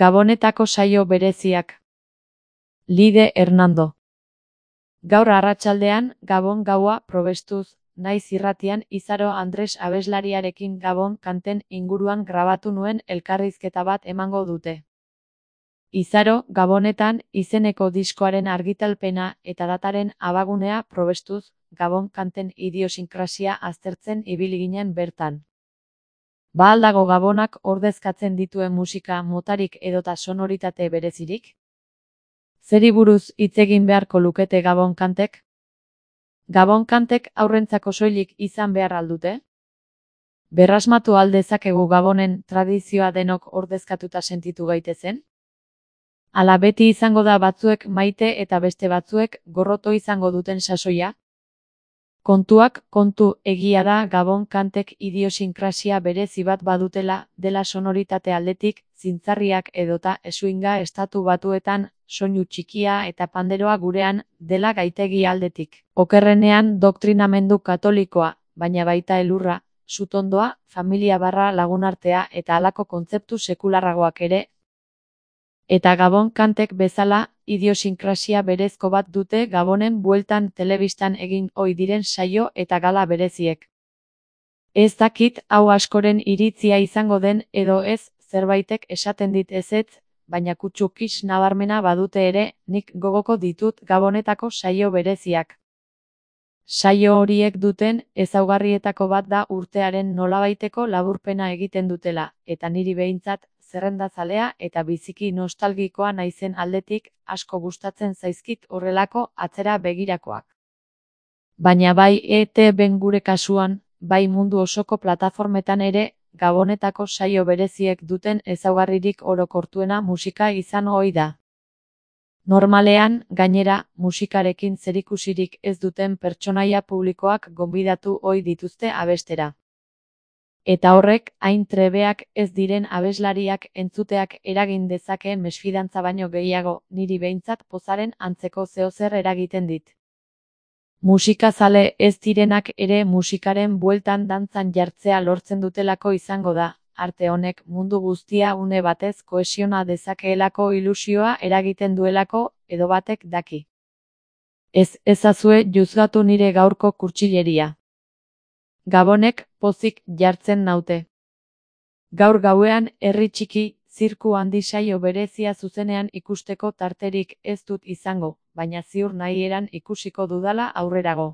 Gabonetako saio bereziak. Lide Hernando. Gaur arratsaldean Gabon gaua probestuz, naiz irratian Izaro Andres abeslariarekin Gabon kanten inguruan grabatu nuen elkarrizketa bat emango dute. Izaro, Gabonetan izeneko diskoaren argitalpena eta dataren abagunea probestuz, Gabon kanten idiosinkrasia aztertzen ibili ginen bertan. Ba al dago Gabonak ordezkatzen dituen musika motarik edota sonoritate berezirik? Zeri buruz hitz egin beharko lukete Gabon kantek? Gabon kantek haurrentzako soilik izan behar al dute? Berrasmatu al dezakegu Gabonen tradizioa denok ordezkatuta sentitu gaitezen? Ala beti izango da batzuek maite eta beste batzuek gorroto izango duten sasoia? Kontuak kontu, egia da Gabon kantek idiosinkrasia berezi bat badutela, dela sonoritate aldetik, zintzarriak edota eswinga estatu batuetan, soinu txikia eta panderoa gurean, dela gaitegi aldetik. Okerrenean doktrinamendu katolikoa, baina baita elurra, sutondoa, familia barra lagunartea eta halako kontzeptu sekularragoak ere. Eta Gabon kantek bezala, idiosinkrasia berezko bat dute Gabonen bueltan telebistan egin ohi diren saio eta gala bereziek. Ez dakit hau askoren iritzia izango den edo ez, zerbaitek esaten dit ezetz, baina kutsukis nabarmena badute ere, nik gogoko ditut Gabonetako saio bereziak. Saio horiek duten ezaugarrietako bat da urtearen nolabaiteko laburpena egiten dutela, eta niri behintzat, zerrendazalea eta biziki nostalgikoa naizen aldetik asko gustatzen zaizkit horrelako atzera begirakoak. Baina bai ETB-n gure kasuan, bai mundu osoko plataformetan ere, Gabonetako saio bereziek duten ezaugarririk orokortuena musika izan ohi da. Normalean, gainera, musikarekin zerikusirik ez duten pertsonaia publikoak gonbidatu ohi dituzte abestera. Eta horrek, hain trebeak ez diren abeslariak entzuteak eragin dezakeen mesfidantza baino gehiago, niri behintzat pozaren antzeko zeozer eragiten dit. Musikazale ez direnak ere musikaren bueltan dantzan jartzea lortzen dutelako izango da, arte honek mundu guztia une batez kohesiona dezakeelako ilusioa eragiten duelako, edo batek daki. Ez ezazue juzgatu nire gaurko kurtsileria. Gabonek pozik jartzen naute. Gaur gauean herri txiki, zirku handi saio berezia zuzenean ikusteko tarterik ez dut izango, baina ziur nahieran ikusiko dudala aurrerago.